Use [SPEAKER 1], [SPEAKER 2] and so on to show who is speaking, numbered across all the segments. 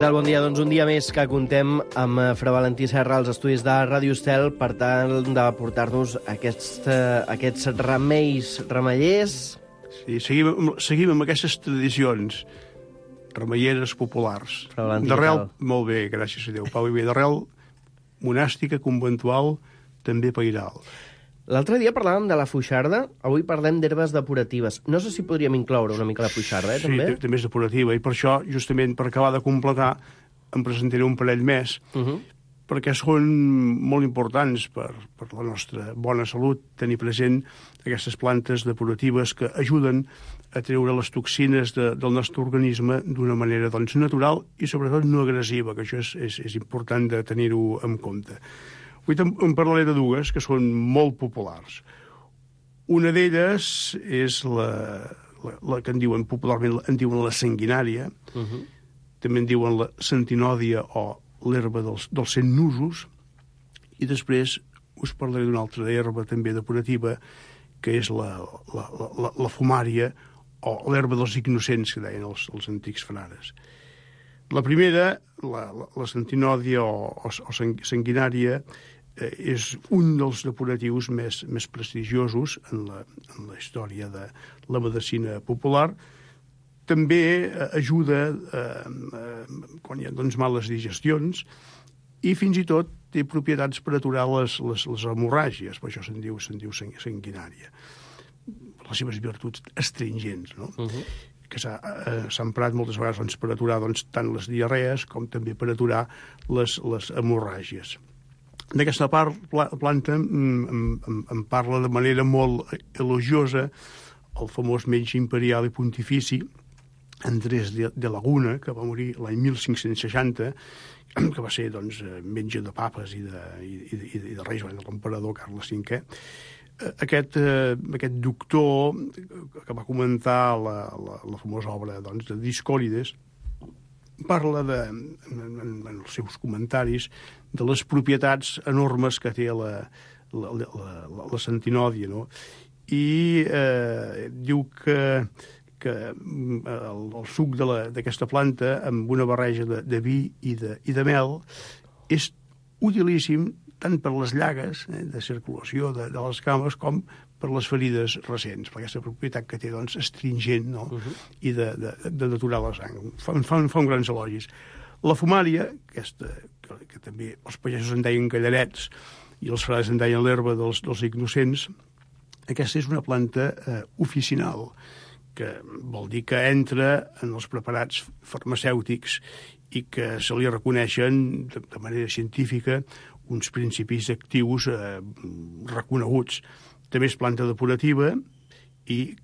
[SPEAKER 1] Bon dia, doncs un dia més que contem amb Fra Valentí Serra als estudis de Ràdio Estel per tal de portar-nos aquests remeiers.
[SPEAKER 2] Sí, seguim amb aquestes tradicions remeieres populars.
[SPEAKER 1] Fra Valentí,
[SPEAKER 2] d'arrel, molt bé, gràcies a Déu, Pau i bé, d'arrel monàstica, conventual, també pairal.
[SPEAKER 1] L'altre dia parlàvem de la fuixarda, avui parlem d'herbes depuratives. No sé si podríem incloure una mica la fuixarda, també?
[SPEAKER 2] Sí, també és depurativa, i per això, justament, per acabar de completar, em presentaré un parell més, perquè són molt importants per la nostra bona salut, tenir present aquestes plantes depuratives que ajuden a treure les toxines del nostre organisme d'una manera doncs, natural i, sobretot, no agressiva, que això és important de tenir-ho en compte. Avui en parlaré de dues que són molt populars. Una d'elles és la que popularment en diuen la sanguinària, també en diuen la centinòdia o l'herba dels 100 nusos, i després us parlaré d'una altra herba també depurativa, que és la fumària o l'herba dels innocents, que deien els antics frares. La primera, la centinòdia o sanguinària, és un dels depuratius més prestigiosos en la història de la medicina popular. També ajuda quan hi ha males digestions i fins i tot té propietats per aturar les hemorràgies, per això se'n diu sanguinària. Les seves virtuts astringents, no? Que s'ha emprat moltes vegades per aturar tant les diarrees com també per aturar les hemorràgies. D'aquesta planta em parla de manera molt elogiosa el famós metge imperial i pontifici Andrés de Laguna, que va morir l'any 1560, que va ser metge de papes i de reis, de l'emperador Carles V. Aquest doctor que va comentar la famosa obra de Discòrides parla en els seus comentaris de les propietats enormes que té la centinòdia, no? I diu que el suc d'aquesta planta amb una barreja de vi i de mel és utilíssim tant per les llagues de circulació de les cames com per les ferides recents, per aquesta propietat que té astringent, no? I de deturar la sang. Fa un grans elogis. La fumària, aquesta, que també els pagesos en deien gallarets i els frares en deien l'herba dels innocents, aquesta és una planta oficinal, que vol dir que entra en els preparats farmacèutics i que se li reconeixen de manera científica uns principis actius reconeguts. També és planta depurativa i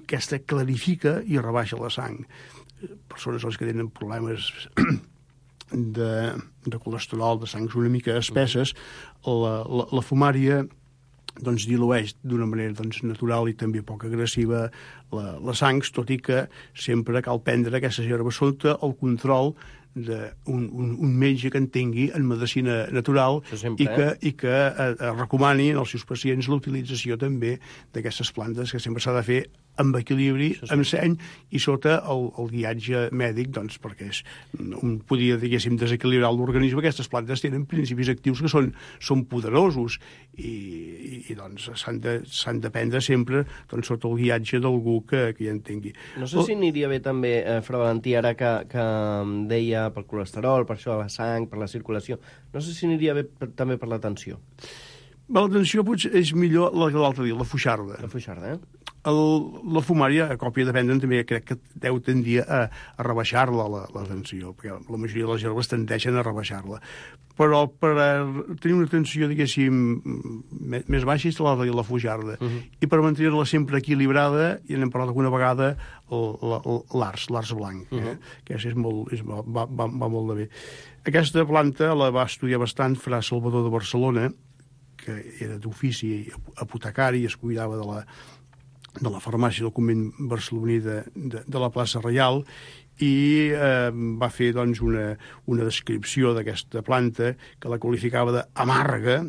[SPEAKER 2] aquesta clarifica i rebaixa la sang. Persones que tenen problemes de colesterol, de sangs una mica espesses, la fumària dilueix d'una manera natural i també poc agressiva la sang, tot i que sempre cal prendre aquestes herbes sota el control d'un metge que entengui en medicina natural i que recomani als seus pacients la utilització també d'aquestes plantes, que sempre s'ha de fer amb equilibri, amb seny i sota el guiatge mèdic, perquè podria, diguéssim, desequilibrar l'organisme. Aquestes plantes tenen principis actius que són poderosos i s'han de prendre sempre sota el guiatge d'algú que hi entengui.
[SPEAKER 1] No sé si aniria bé també, Fra Valentí, ara que deia pel colesterol, per això de la sang, per la circulació, no sé si aniria bé també per la tensió.
[SPEAKER 2] La tensió potser és millor la que l'altre dia, la fuixarda.
[SPEAKER 1] La fuixarda,
[SPEAKER 2] La fumària, a còpia de prendre, també crec que deu tendir a rebaixar-la, la tensió, perquè la majoria de les herbes tendeixen a rebaixar-la. Però per tenir una tensió, diguéssim, més baixa és la fuixarda. I per mantenir-la sempre equilibrada, i n'hem parlat alguna vegada, l'ars blanc, que va molt de bé. Aquesta planta la va estudiar bastant Fra Salvador de Barcelona, que era d'ofici apotecari i es cuidava de la farmàcia del convent barceloní de la plaça Reial, i va fer una descripció d'aquesta planta que la qualificava d'amarga,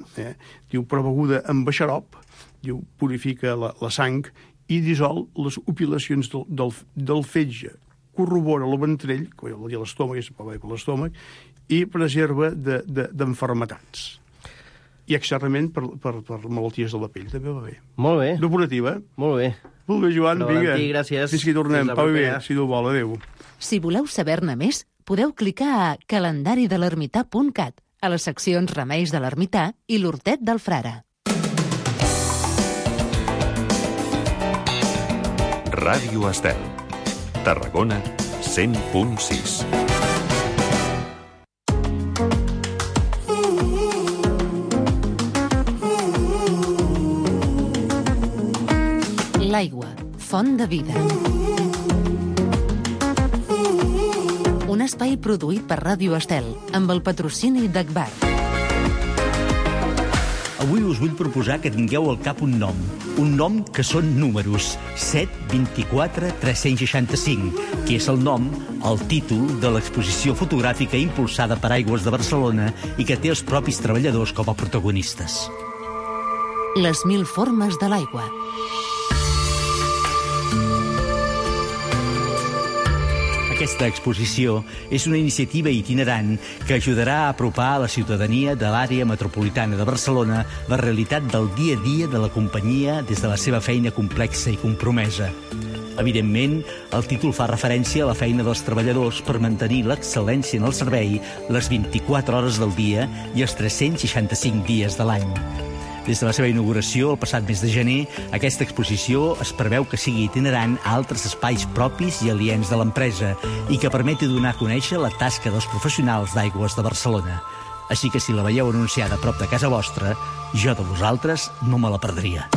[SPEAKER 2] diu, però beguda amb xarop, diu, purifica la sang i dissol les opilacions del fetge corrobora el ventrell, que vol dir l'estómac, és per l'estómac, i preserva d'enfermetats. I externament per malalties de la pell, també va bé.
[SPEAKER 1] Molt bé.
[SPEAKER 2] Depurativa.
[SPEAKER 1] Molt bé.
[SPEAKER 2] Molt bé, Joan, vinga.
[SPEAKER 1] Valentí, gràcies.
[SPEAKER 2] Fins que hi tornem. Pau bé, si Déu vol, adéu.
[SPEAKER 3] Si voleu saber-ne més, podeu clicar a calendaridelermità.cat, a les seccions Remeis de l'Ermità i l'Hortet del Frare.
[SPEAKER 4] Ràdio Estel. Tarragona 100.6.
[SPEAKER 3] L'aigua, font de vida. Un espai produït per Ràdio Estel, amb el patrocini d'Agbar.
[SPEAKER 5] Avui us vull proposar que tingueu al cap un nom que són números, 7, 24, 365, que és el nom, el títol de l'exposició fotogràfica impulsada per Aigües de Barcelona i que té els propis treballadors com a protagonistes.
[SPEAKER 3] Les 1000 formes de l'aigua.
[SPEAKER 5] Aquesta exposició és una iniciativa itinerant que ajudarà a apropar a la ciutadania de l'àrea metropolitana de Barcelona la realitat del dia a dia de la companyia des de la seva feina complexa i compromesa. Evidentment, el títol fa referència a la feina dels treballadors per mantenir l'excel·lència en el servei les 24 hores del dia i els 365 dies de l'any. Des de la seva inauguració, el passat mes de gener, aquesta exposició es preveu que sigui itinerant a altres espais propis i aliens de l'empresa i que permeti donar a conèixer la tasca dels professionals d'Aigües de Barcelona. Així que si la veieu anunciada a prop de casa vostra, jo de vosaltres no me la perdria.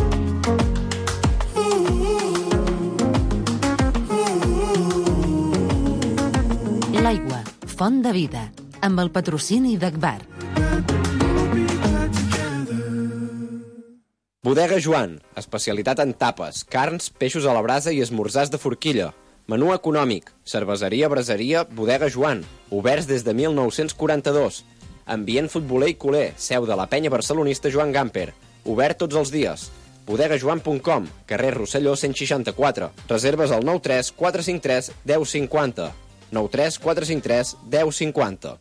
[SPEAKER 3] L'aigua, font de vida, amb el patrocini d'Agbar.
[SPEAKER 6] Bodega Joan, especialitat en tapes, carns, peixos a la brasa i esmorzars de forquilla. Menú econòmic, cerveseria, braseria, Bodega Joan, oberts des de 1942. Ambient futboler i culer, seu de la penya barcelonista Joan Gamper, obert tots els dies. bodegajoan.com, carrer Rosselló 164. Reserves al 93 453 1050. 93 453 1050.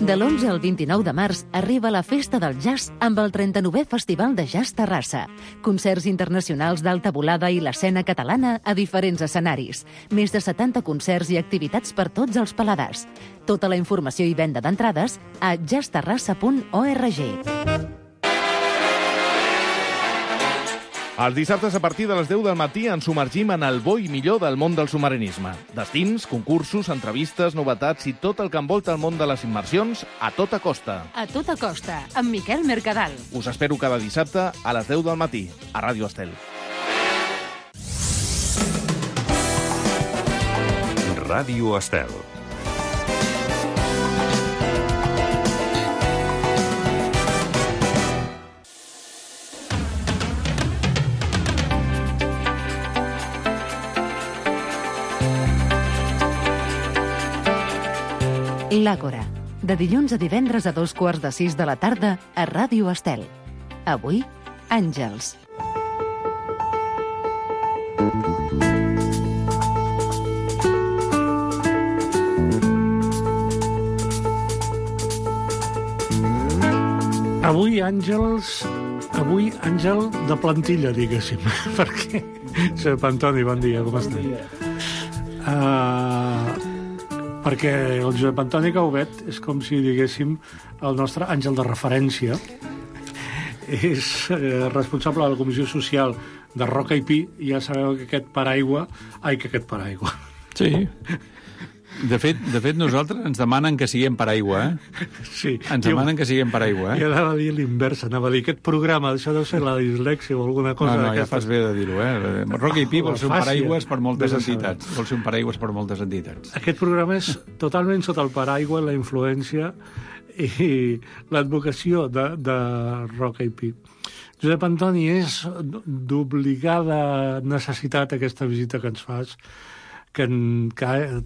[SPEAKER 3] De l'11 al 29 de març arriba la Festa del Jazz amb el 39è Festival de Jazz Terrassa. Concerts internacionals d'alta volada i l'escena catalana a diferents escenaris. Més de 70 concerts i activitats per tots els paladars. Tota la informació i venda d'entrades a jazzterrassa.org.
[SPEAKER 7] Els dissabtes a partir de les 10 del matí ens submergim en el bo i millor del món del submarinisme. Destins, concursos, entrevistes, novetats i tot el que envolta el món de les immersions a tota costa.
[SPEAKER 3] A tota costa, amb Miquel Mercadal.
[SPEAKER 7] Us espero cada dissabte a les 10 del matí, a Ràdio Estel.
[SPEAKER 4] Ràdio Estel.
[SPEAKER 3] L'Àgora, de dilluns a divendres a 5:15 de la tarda a Ràdio Estel. Avui, Àngels.
[SPEAKER 2] Avui àngel de plantilla, diguéssim, perquè... Josep Antoni, bon dia, com estàs? Bon dia. Perquè el Josep Antoni Caubet és com si diguéssim el nostre àngel de referència. És responsable de la Comissió Social de Roca i Pi, i ja sabeu que aquest paraigua...
[SPEAKER 8] Sí. De fet, nosaltres ens demanen que siguem paraigua, eh?
[SPEAKER 2] Sí.
[SPEAKER 8] Ens demanen que siguem paraigua, eh?
[SPEAKER 2] I anava a dir l'inversa, anava a dir aquest programa, això deu ser la dislèxia o alguna cosa
[SPEAKER 8] No,
[SPEAKER 2] d'aquesta.
[SPEAKER 8] ja fas bé de dir-ho, eh? Roca i Pi vol ser un paraigües per moltes entitats. Vol ser un paraigües per moltes entitats.
[SPEAKER 2] Aquest programa és totalment sota el paraigua, la influència i l'advocació de Roca i Pi. Josep Antoni, és d'obligada necessitat aquesta visita que ens fas, que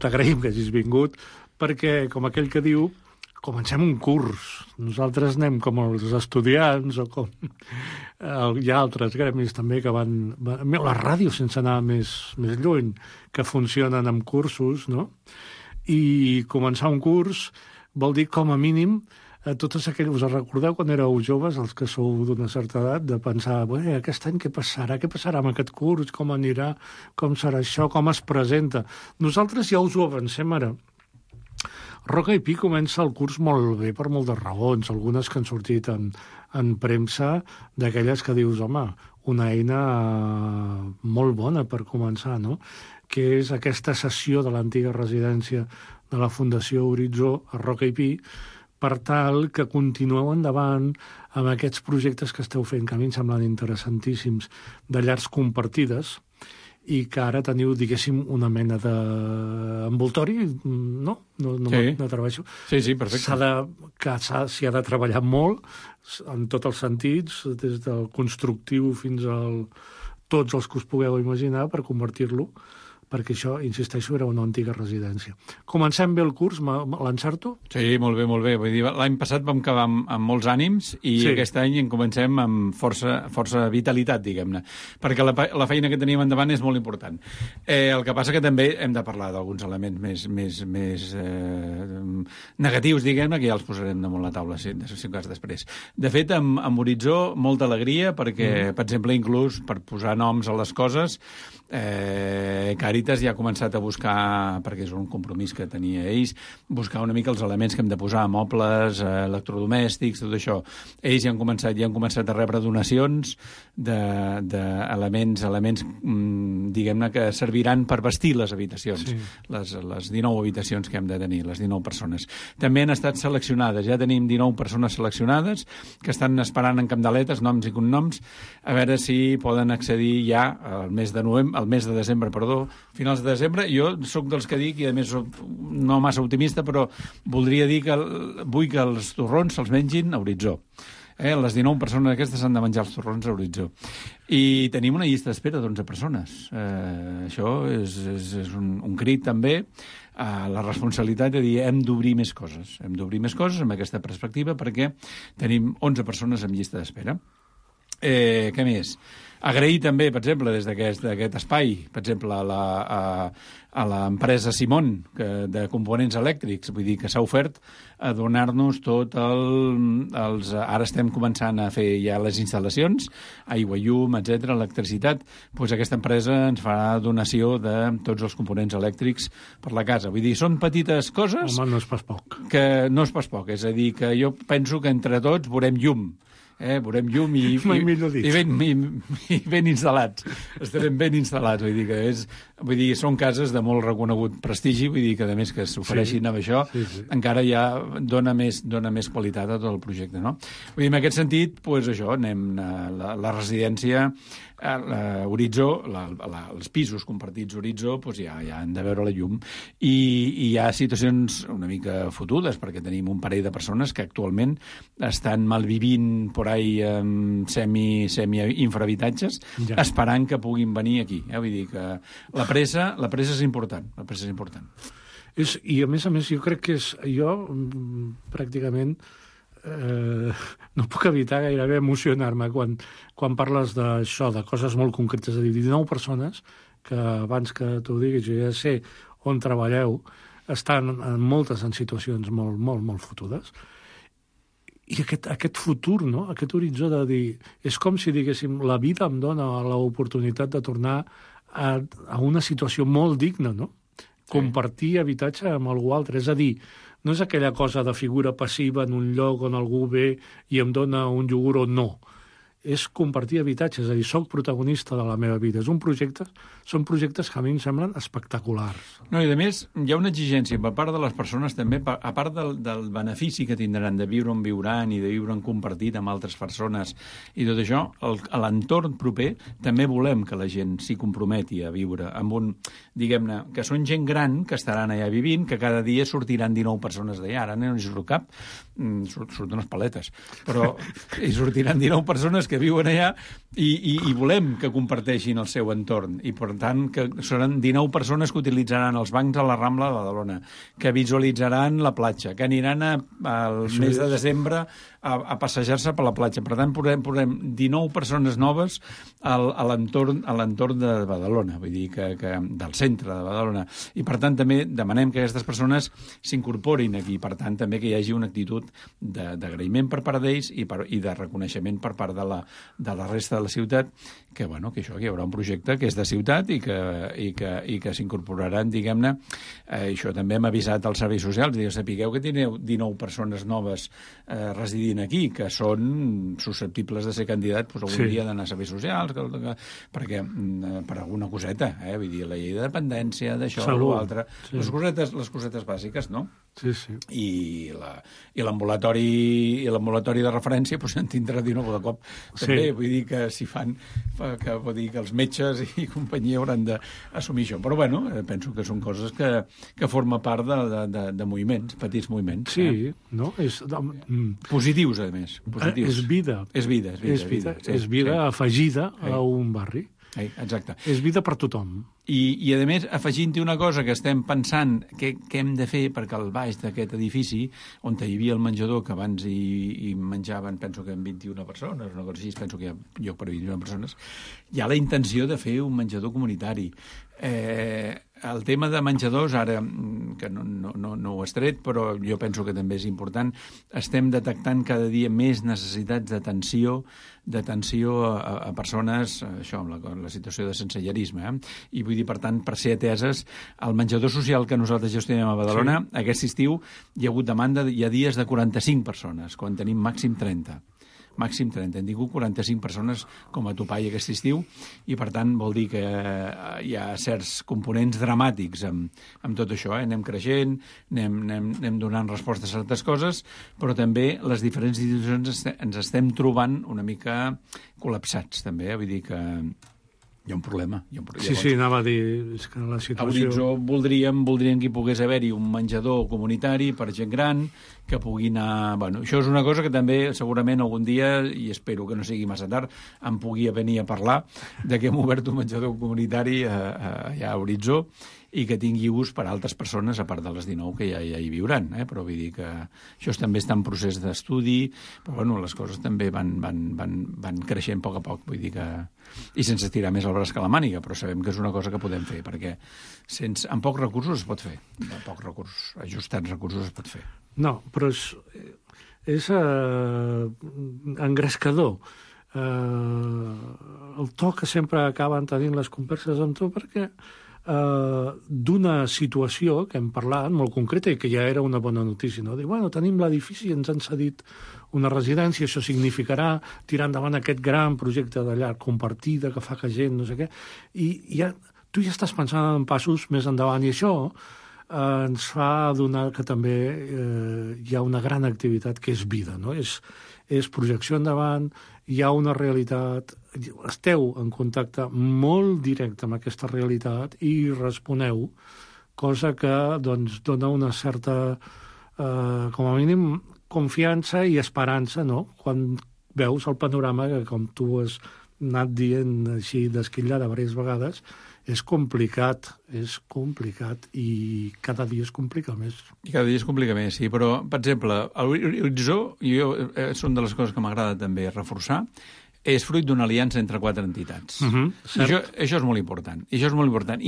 [SPEAKER 2] t'agraïm que hagis vingut, perquè, com aquell que diu,
[SPEAKER 9] comencem un curs. Nosaltres anem com els estudiants o com hi ha altres gremis també que van... La ràdio, sense anar més lluny, que funcionen amb cursos, no? I començar un curs vol dir, com a mínim, totes aquelles... Us recordeu quan éreu joves, els que sou d'una certa edat, de pensar, aquest any què passarà? Què passarà amb aquest curs? Com anirà? Com serà això? Com es presenta? Nosaltres ja us ho avancem ara. Roca i Pi comença el curs molt bé per moltes raons, algunes que han sortit en premsa, d'aquelles que dius, home, una eina molt bona per començar, no? Que és aquesta cessió de l'antiga residència de la Fundació Horitzó a Roca i Pi, per tal que continueu endavant amb aquests projectes que esteu fent, que a mi em semblen interessantíssims, de llars compartides, i que ara teniu, diguéssim, una mena d'envoltori, no? No treballo.
[SPEAKER 8] Sí, perfecte.
[SPEAKER 9] S'hi ha de treballar molt, en tots els sentits, des del constructiu fins al tots els que us pugueu imaginar, per convertir-lo, perquè això, insisteixo, era una antiga residència. Comencem bé el curs, l'encerto?
[SPEAKER 8] Sí, molt bé, molt bé. Vull dir, l'any passat vam acabar amb molts ànims i aquest any en comencem amb força vitalitat, diguem-ne, perquè la feina que tenim endavant és molt important. El que passa que també hem de parlar d'alguns elements més negatius, diguem-ne, que ja els posarem damunt la taula, si cas després. De fet, amb Horitzó, molta alegria, perquè, per exemple, inclús per posar noms a les coses, Càritas ja ha començat a buscar, perquè és un compromís que tenia ells, buscar una mica els elements que hem de posar, mobles, electrodomèstics, tot això. Ells ja han començat a rebre donacions d'elements, diguem-ne, que serviran per vestir les habitacions, les 19 habitacions que hem de tenir, les 19 persones. També han estat seleccionades, ja tenim 19 persones seleccionades que estan esperant en candeletes, noms i cognoms, a veure si poden accedir ja al mes de desembre, finals de desembre. Jo sóc dels que dic, i a més soc no massa optimista, però voldria dir que vull que els torrons se'ls mengin a Horitzó. Les 19 persones aquestes han de menjar els torrons a Horitzó. I tenim una llista d'espera d'11 persones. Això és un crit també a la responsabilitat de dir hem d'obrir més coses. Hem d'obrir més coses amb aquesta perspectiva perquè tenim 11 persones en llista d'espera. Què més? Agrair també, per exemple, des d'aquest espai, per exemple, a l'empresa Simon, de components elèctrics, vull dir que s'ha ofert a donar-nos tot els... Ara estem començant a fer ja les instal·lacions, aigua, llum, etc, electricitat, doncs aquesta empresa ens farà donació de tots els components elèctrics per la casa. Vull dir, són petites coses...
[SPEAKER 9] Home, no és pas poc.
[SPEAKER 8] Que no és pas poc, és a dir, que jo penso que entre tots veurem llum. Veurem llum i ben instal·lats. Estarem ben instal·lats, vull dir, són cases de molt reconegut prestigi, vull dir que a més que s'ofereixin amb això, encara ja dona més qualitat a tot el projecte, no? Vull dir, en aquest sentit, doncs això, anem a la residència Horitzó, els pisos compartits Horitzó, doncs ja han de veure la llum. I hi ha situacions una mica fotudes, perquè tenim un parell de persones que actualment estan malvivint por ahí semi-infrahabitatges, esperant que puguin venir aquí. Vull dir que la pressa és important.
[SPEAKER 9] I a més, jo crec que jo pràcticament no puc evitar gairebé emocionar-me quan parles d'això, de coses molt concretes, és a dir, 19 persones que abans que t'ho diguis, jo ja sé on treballeu, estan moltes en situacions molt, molt, molt fotudes. I aquest futur, no? Aquest horitzó de dir... És com si, diguéssim, la vida em dona l'oportunitat de tornar a una situació molt digna, no? Compartir habitatge amb algú altre. És a dir, no és aquella cosa de figura passiva en un lloc on algú ve i em dona un iogurt o no. És compartir habitatge, és a dir, soc protagonista de la meva vida. Són projectes que a mi em semblen espectaculars.
[SPEAKER 8] No, i a més, hi ha una exigència per part de les persones també, a part del benefici que tindran de viure on viuran i de viure en compartit amb altres persones i tot això, a l'entorn proper també volem que la gent s'hi comprometi a viure amb un, diguem-ne, que són gent gran que estaran allà vivint, que cada dia sortiran 19 persones d'allà. Ara no hi surt cap, surten unes paletes, però hi sortiran 19 persones que viuen allà i volem que comparteixin el seu entorn. I, per tant, que seran 19 persones que utilitzaran els bancs a la Rambla de Badalona, que visualitzaran la platja, que aniran al mes de desembre a passejar-se per la platja. Per tant, posem 19 persones noves a l'entorn de Badalona, vull dir que del centre de Badalona. I, per tant, també demanem que aquestes persones s'incorporin aquí. Per tant, també que hi hagi una actitud d'agraïment per part d'ells i de reconeixement per part de la resta de la ciutat, que hi haurà un projecte que és de ciutat i que s'incorporaran, diguem-ne. Això també hem avisat als serveis socials, sapigueu que teniu 19 persones noves residint aquí, que són susceptibles de ser candidats algun dia d'anar a serveis socials, perquè per alguna coseta, vull dir, la llei de dependència, d'això o l'altre, les cosetes bàsiques, no?
[SPEAKER 9] Sí, sí.
[SPEAKER 8] I l'ambulatori de referència en tindrà 19 de cop. També, vull dir que si fan, vull dir que els metges i companyia hauran d'assumir això. Però, penso que són coses que forma part de moviments, petits moviments.
[SPEAKER 9] Sí, no?
[SPEAKER 8] Positius, a més.
[SPEAKER 9] És vida.
[SPEAKER 8] És vida
[SPEAKER 9] afegida a un barri.
[SPEAKER 8] Exacte.
[SPEAKER 9] És vida per tothom.
[SPEAKER 8] I a més, afegint-hi una cosa que estem pensant què hem de fer perquè al baix d'aquest edifici, on hi havia el menjador, que abans hi menjaven, penso que en 21 persones, una cosa així, penso que hi ha lloc per 21 persones, hi ha la intenció de fer un menjador comunitari. El tema de menjadors, ara, que no ho has tret, però jo penso que també és important, estem detectant cada dia més necessitats d'atenció a persones, això, amb la situació de sensellerisme, i vull dir, per tant, per ser ateses, el menjador social que nosaltres gestionem a Badalona, aquest estiu hi ha hagut demanda, hi ha dies de 45 persones, quan tenim màxim 30. Màxim 30. Hem tingut 45 persones com a topall aquest estiu i, per tant, vol dir que hi ha certs components dramàtics amb tot això. Anem creixent, anem donant respostes a certes coses, però també les diferents institucions ens estem trobant una mica col·lapsats, també. Vull dir que hi ha un problema.
[SPEAKER 9] Sí, anava a dir que la situació...
[SPEAKER 8] A Horitzó voldríem que hi pogués haver-hi un menjador comunitari per gent gran, que pugui anar... això és una cosa que també segurament algun dia, i espero que no sigui massa tard, em pugui venir a parlar de que hem obert un menjador comunitari allà a Horitzó i que tingui ús per a altres persones, a part de les 19 que ja hi viuran. Però vull dir que això també està en procés d'estudi, però les coses també van creixent a poc. Vull dir que... I sense estirar més el braç que la màniga, però sabem que és una cosa que podem fer, perquè amb pocs recursos es pot fer. Amb pocs recursos, ajustats recursos es pot fer.
[SPEAKER 9] No, però és engrescador el to que sempre acaben tenint les converses amb tu, perquè d'una situació que hem parlat molt concreta i que ja era una bona notícia, no? Dir, tenim l'edifici i ens han cedit una residència, això significarà tirar endavant aquest gran projecte de llar compartida que fa que gent, no sé què, i tu ja estàs pensant en passos més endavant, i això ens fa adonar que també hi ha una gran activitat que és vida, no? És projecció endavant, hi ha una realitat, esteu en contacte molt directe amb aquesta realitat i responeu, cosa que dona una certa, com a mínim, confiança i esperança, no? Quan veus el panorama que, com tu has anat dient així d'esquillada diverses vegades, és complicat i cada dia es complica més.
[SPEAKER 8] I cada dia es complica més, sí, però, per exemple, l'Horitzó, són de les coses que m'agrada també reforçar, és fruit d'una aliança entre 4 entitats. Això és molt important. I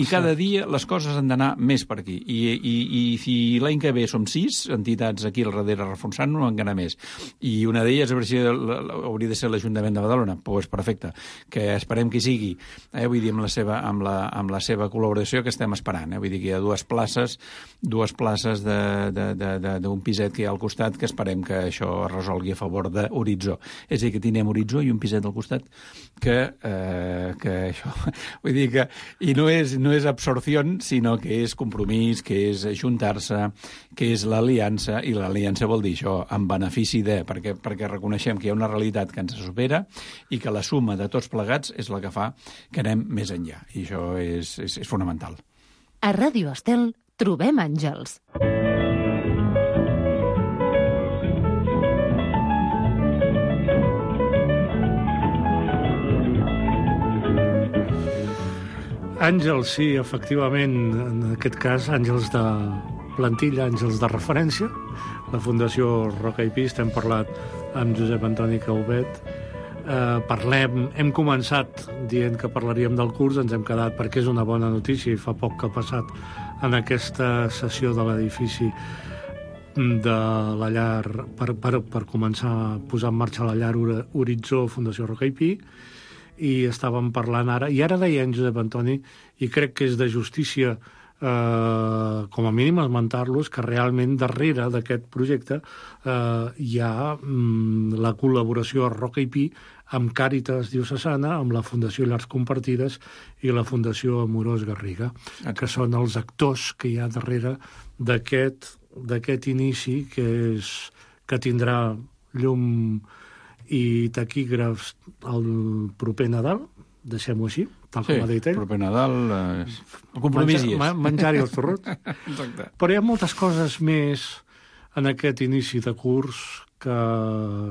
[SPEAKER 8] cada dia les coses han d'anar més per aquí. I si l'any que ve som 6 entitats aquí al darrere reforçant-nos, encara més. I una d'elles hauria de ser l'Ajuntament de Badalona. Doncs perfecte. Que esperem que hi sigui. Vull dir, amb la seva col·laboració que estem esperant. Vull dir que hi ha dues places d'un piset que hi ha al costat que esperem que això es resolgui a favor d'Horitzó. És a dir, que tindrem Horitzó i un piset al costat que això, vull dir que i no és absorció, sinó que és compromís, que és ajuntar-se, que és l'aliança, i l'aliança vol dir això, en benefici de, perquè reconeixem que hi ha una realitat que ens supera i que la suma de tots plegats és la que fa que anem més enllà, i això és fonamental.
[SPEAKER 3] A Ràdio Estel trobem àngels.
[SPEAKER 9] Àngels, sí, efectivament, en aquest cas, àngels de plantilla, àngels de referència. La Fundació Roca i Pi, estem parlat amb Josep Antoni Caubet. Hem començat dient que parlaríem del curs, ens hem quedat perquè és una bona notícia i fa poc que ha passat en aquesta sessió de l'edifici de la llar per començar a posar en marxa la llar Horitzó Fundació Roca i Pi, i estàvem parlant ara, i ara deia en Josep Antoni, i crec que és de justícia com a mínim esmentar-los, que realment darrere d'aquest projecte hi ha la col·laboració a Roca i Pi amb Càritas Diocesana, amb la Fundació Llars Compartides i la Fundació Amorós Garriga, que són els actors que hi ha darrere d'aquest inici que tindrà llum i taquígrafs el proper Nadal, deixem-ho així, tal com ha dit ell.
[SPEAKER 8] Sí, proper Nadal, el compromís hi és.
[SPEAKER 9] Menjar-hi els torrots.
[SPEAKER 8] Exacte.
[SPEAKER 9] Però hi ha moltes coses més en aquest inici de curs que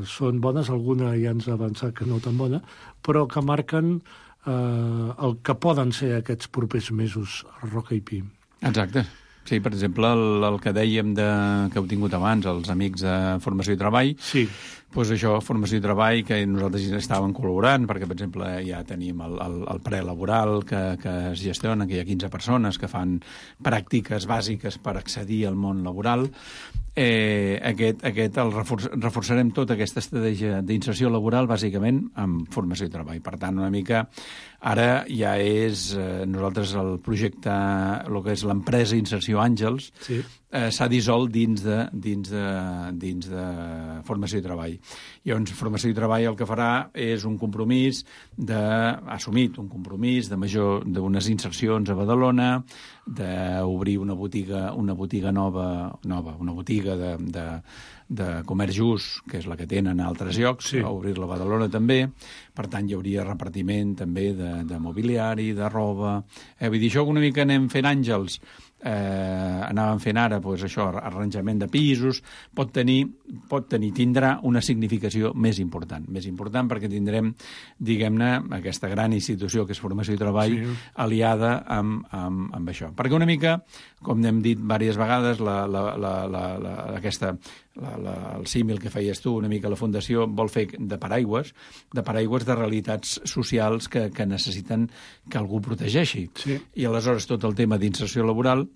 [SPEAKER 9] són bones, alguna ja ens ha avançat que no tan bona, però que marquen el que poden ser aquests propers mesos a Roca i Pi.
[SPEAKER 8] Exacte. Sí, per exemple, el que dèiem que heu tingut abans, els amics de Formació i Treball,
[SPEAKER 9] sí.
[SPEAKER 8] Doncs això, Formació i Treball, que nosaltres hi estàvem col·laborant, perquè, per exemple, ja tenim el prelaboral que es gestiona, que hi ha 15 persones que fan pràctiques bàsiques per accedir al món laboral. Reforçarem tota aquesta estratègia d'inserció laboral, bàsicament, amb Formació i Treball. Per tant, una mica, ara ja és nosaltres el projecte, el que és l'empresa Inserció Àngels, sí. S'ha dissolt dins de Formació i Treball. Llavors, Formació i Treball el que farà és un compromís assumit un compromís d'unes insercions a Badalona, d'obrir una botiga nova, una botiga de comerç just, que és la que tenen a altres llocs, sí. A obrir-la a Badalona també. Per tant, hi hauria repartiment també de mobiliari, de roba. Vull dir, això una mica anem fent àngels. Anàvem fent ara això, arranjament de pisos, tindrà una significació més important perquè tindrem, diguem-ne, aquesta gran institució que és Formació i Treball, sí. Aliada amb això, perquè una mica, com hem dit diverses vegades, el símil que feies tu, una mica la Fundació vol fer de paraigües de realitats socials que necessiten que algú protegeixi, sí. I aleshores tot el tema d'inserció laboral,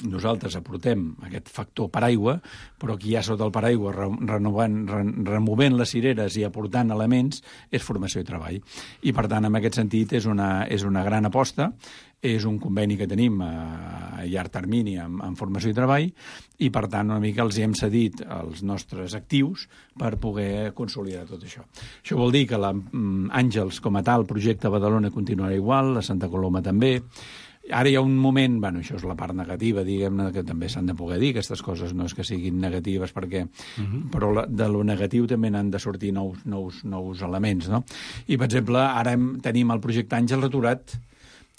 [SPEAKER 8] nosaltres aportem aquest factor paraigua, però qui hi ha sota el paraigua removent les cireres i aportant elements és Formació i Treball. I per tant, en aquest sentit, és una gran aposta, és un conveni que tenim a llarg termini amb Formació i Treball i, per tant, una mica els hem cedit els nostres actius per poder consolidar tot això. Això vol dir que l'Àngels, com a tal, projecte a Badalona continuarà igual, a Santa Coloma també. Ara hi ha un moment, això és la part negativa, diguem-ne, que també s'han de poder dir, aquestes coses no és que siguin negatives, perquè, però de lo negatiu també n'han de sortir nous elements, no? I, per exemple, ara tenim el projecte Àngels aturat.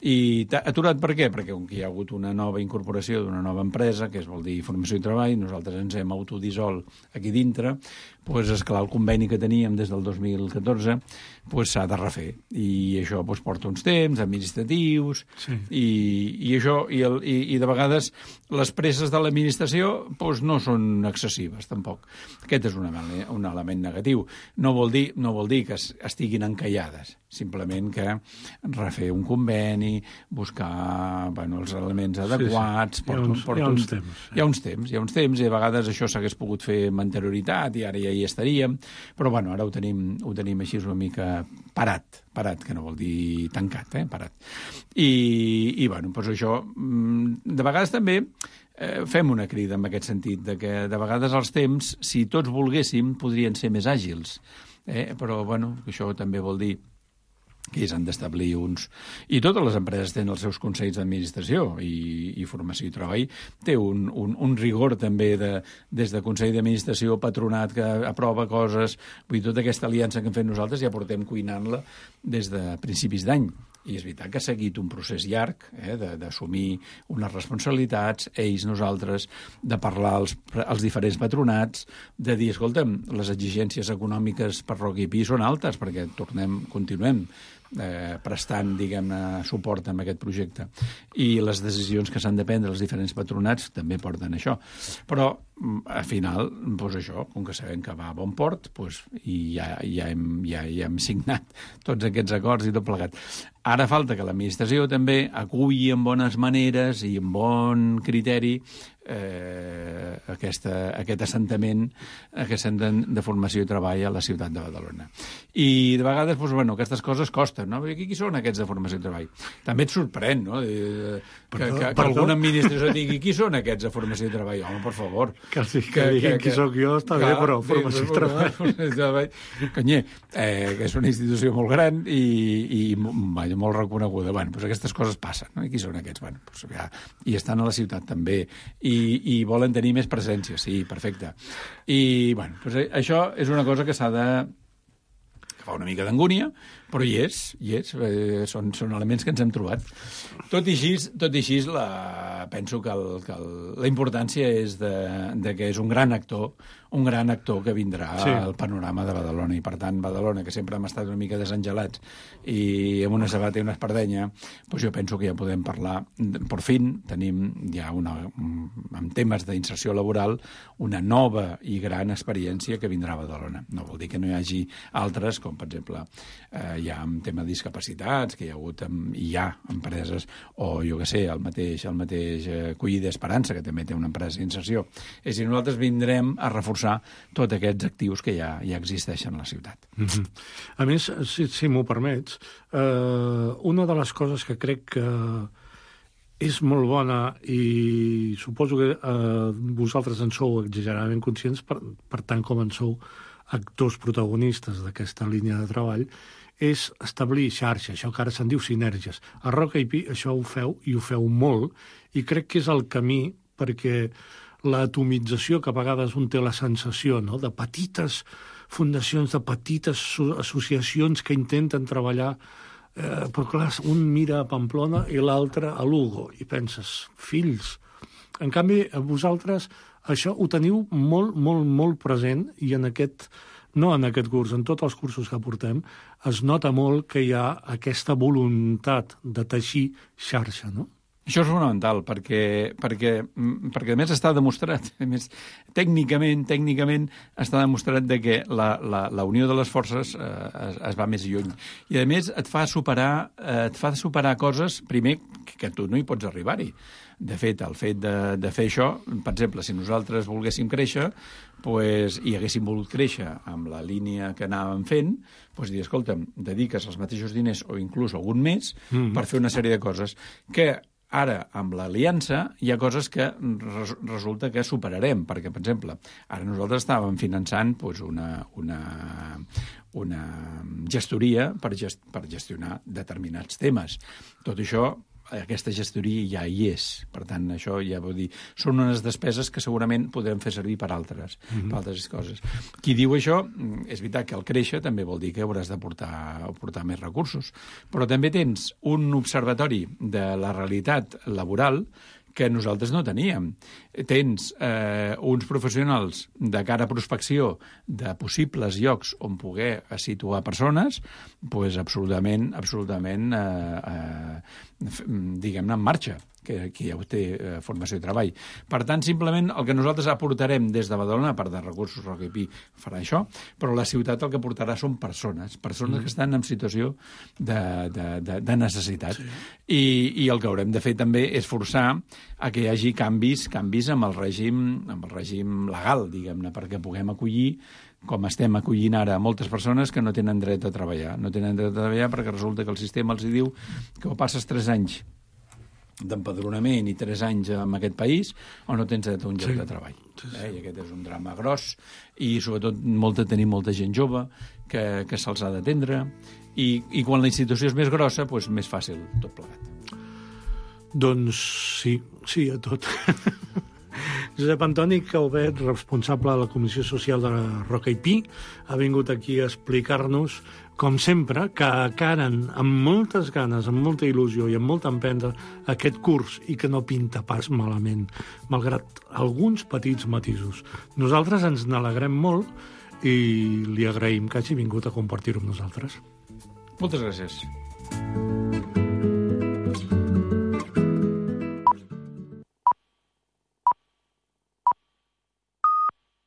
[SPEAKER 8] I aturat per què? Perquè com que hi ha hagut una nova incorporació d'una nova empresa, que vol dir Formació i Treball, nosaltres ens hem autodissolt aquí dintre, doncs, esclar, el conveni que teníem des del 2014 s'ha de refer. I això porta uns temps administratius, sí. I de vegades les presses de l'administració no són excessives, tampoc. Aquest és un element negatiu. No vol dir que estiguin encallades, simplement que refer un conveni, buscar els elements adequats...
[SPEAKER 9] Hi ha uns temps.
[SPEAKER 8] Hi ha uns temps, i a vegades això s'hagués pogut fer amb anterioritat i ara ja hi estaríem, però ara ho tenim així una mica parat, que no vol dir tancat, parat. I això, de vegades també fem una crida en aquest sentit, de que de vegades els temps, si tots volguéssim, podrien ser més àgils, però això també vol dir que s'han d'establir uns... I totes les empreses tenen els seus consells d'administració i Formació i Treball té un rigor també des de Consell d'Administració, patronat que aprova coses. Vull dir, tota aquesta aliança que hem fet nosaltres ja portem cuinant-la des de principis d'any. I és veritat que ha seguit un procés llarg d'assumir unes responsabilitats, ells, nosaltres, de parlar als diferents patronats, de dir, escolta'm, les exigències econòmiques per Roca i Pi són altes, perquè continuem prestant, diguem-ne, suport amb aquest projecte. I les decisions que s'han de prendre els diferents patronats també porten això. Però, al final, doncs això, com que sabem que va a bon port, doncs, i ja hem signat tots aquests acords i tot plegat. Ara falta que l'administració també aculli amb bones maneres i amb bon criteri aquest assentament de formació i treball a la ciutat de Badalona. I de vegades, doncs, bueno, aquestes coses costen, no? Qui són aquests de formació i treball? També et sorprèn, no? Que alguna administració digui qui són aquests de formació i treball? Home, per favor.
[SPEAKER 9] Que diguin qui sóc jo està bé, però formació i treball.
[SPEAKER 8] Canyer, que és una institució molt gran i molt reconeguda. Bueno, doncs aquestes coses passen, no? I qui són aquests? Bueno, doncs ja, i estan a la ciutat també. I volen tenir més presència, sí, perfecte. I, bueno, doncs això és una cosa que s'ha de... que fa una mica d'angúnia, però hi és. Són elements que ens hem trobat. Tot i així penso que la importància és de que és un gran actor que vindrà al panorama de Badalona. I, per tant, Badalona, que sempre hem estat una mica desangelats i amb una sabata i una espardenya, doncs jo penso que ja podem parlar. Per fin tenim ja en temes d'inserció laboral una nova i gran experiència que vindrà a Badalona. No vol dir que no hi hagi altres, com per exemple hi ha en tema de discapacitats, que hi ha hagut i hi ha empreses, o jo que sé, el mateix Collida Esperança, que també té una empresa d'inserció. És a dir, nosaltres vindrem a reforçar tots aquests actius que ja existeixen a la ciutat.
[SPEAKER 9] A més, si m'ho permets, una de les coses que crec que és molt bona i suposo que vosaltres en sou exageradament conscients, per tant com en sou actors protagonistes d'aquesta línia de treball, és establir xarxa, això que ara se'n diu sinergies. A Roca IP això ho feu, i ho feu molt, i crec que és el camí perquè l'atomització que a vegades un té la sensació, no?, de petites fundacions, de petites associacions que intenten treballar, però clar, un mira a Pamplona i l'altre a Lugo, i penses, fills. En canvi, vosaltres això ho teniu molt, molt, molt present, i no en aquest curs, en tots els cursos que portem, es nota molt que hi ha aquesta voluntat de teixir xarxa, no?
[SPEAKER 8] Això és fonamental, perquè a més està demostrat, a més, tècnicament està demostrat que la unió de les forces es va més lluny. I a més et fa superar coses, primer, que tu no hi pots arribar-hi. De fet, el fet de fer això, per exemple, si nosaltres volguéssim créixer i haguéssim volgut créixer amb la línia que anàvem fent, doncs dir, escolta'm, dediques els mateixos diners o inclús algun més per fer una sèrie de coses que ara, amb l'aliança, hi ha coses que resulta que superarem, perquè, per exemple, ara nosaltres estàvem finançant una gestoria per gestionar determinats temes. Tot això, aquesta gestoria ja hi és. Per tant, això ja vol dir... Són unes despeses que segurament podrem fer servir per altres coses. Qui diu això, és veritat que al créixer també vol dir que hauràs de portar més recursos. Però també tens un observatori de la realitat laboral que nosaltres no teníem. Tens uns professionals de cara a prospecció de possibles llocs on poder situar persones, doncs absolutament diguem-ne, en marxa, que ja ho té formació i treball. Per tant, simplement el que nosaltres aportarem des de Badalona, a part de recursos, Roca IP farà això, però la ciutat el que portarà són persones que estan en situació de necessitat. Sí. I el que haurem de fer també és forçar a que hi hagi canvis amb el règim legal, diguem-ne, perquè puguem acollir, com estem acollint ara, moltes persones que no tenen dret a treballar. No tenen dret a treballar perquè resulta que el sistema els diu que o passes 3 anys d'empadronament i 3 anys en aquest país o no tens dret a un lloc de treball. I aquest és un drama gros i sobretot tenim molta gent jove que se'ls ha d'atendre i quan la institució és més grossa, doncs més fàcil tot plegat.
[SPEAKER 9] Doncs sí a tot. Josep Antoni Calvet, responsable de la Comissió Social de la Roca IP, ha vingut aquí a explicar-nos, com sempre, que acaren amb moltes ganes, amb molta il·lusió i amb molta empenta aquest curs i que no pinta pas malament, malgrat alguns petits matisos. Nosaltres ens n'alegrem molt i li agraïm que hagi vingut a compartir-ho amb nosaltres.
[SPEAKER 8] Moltes gràcies.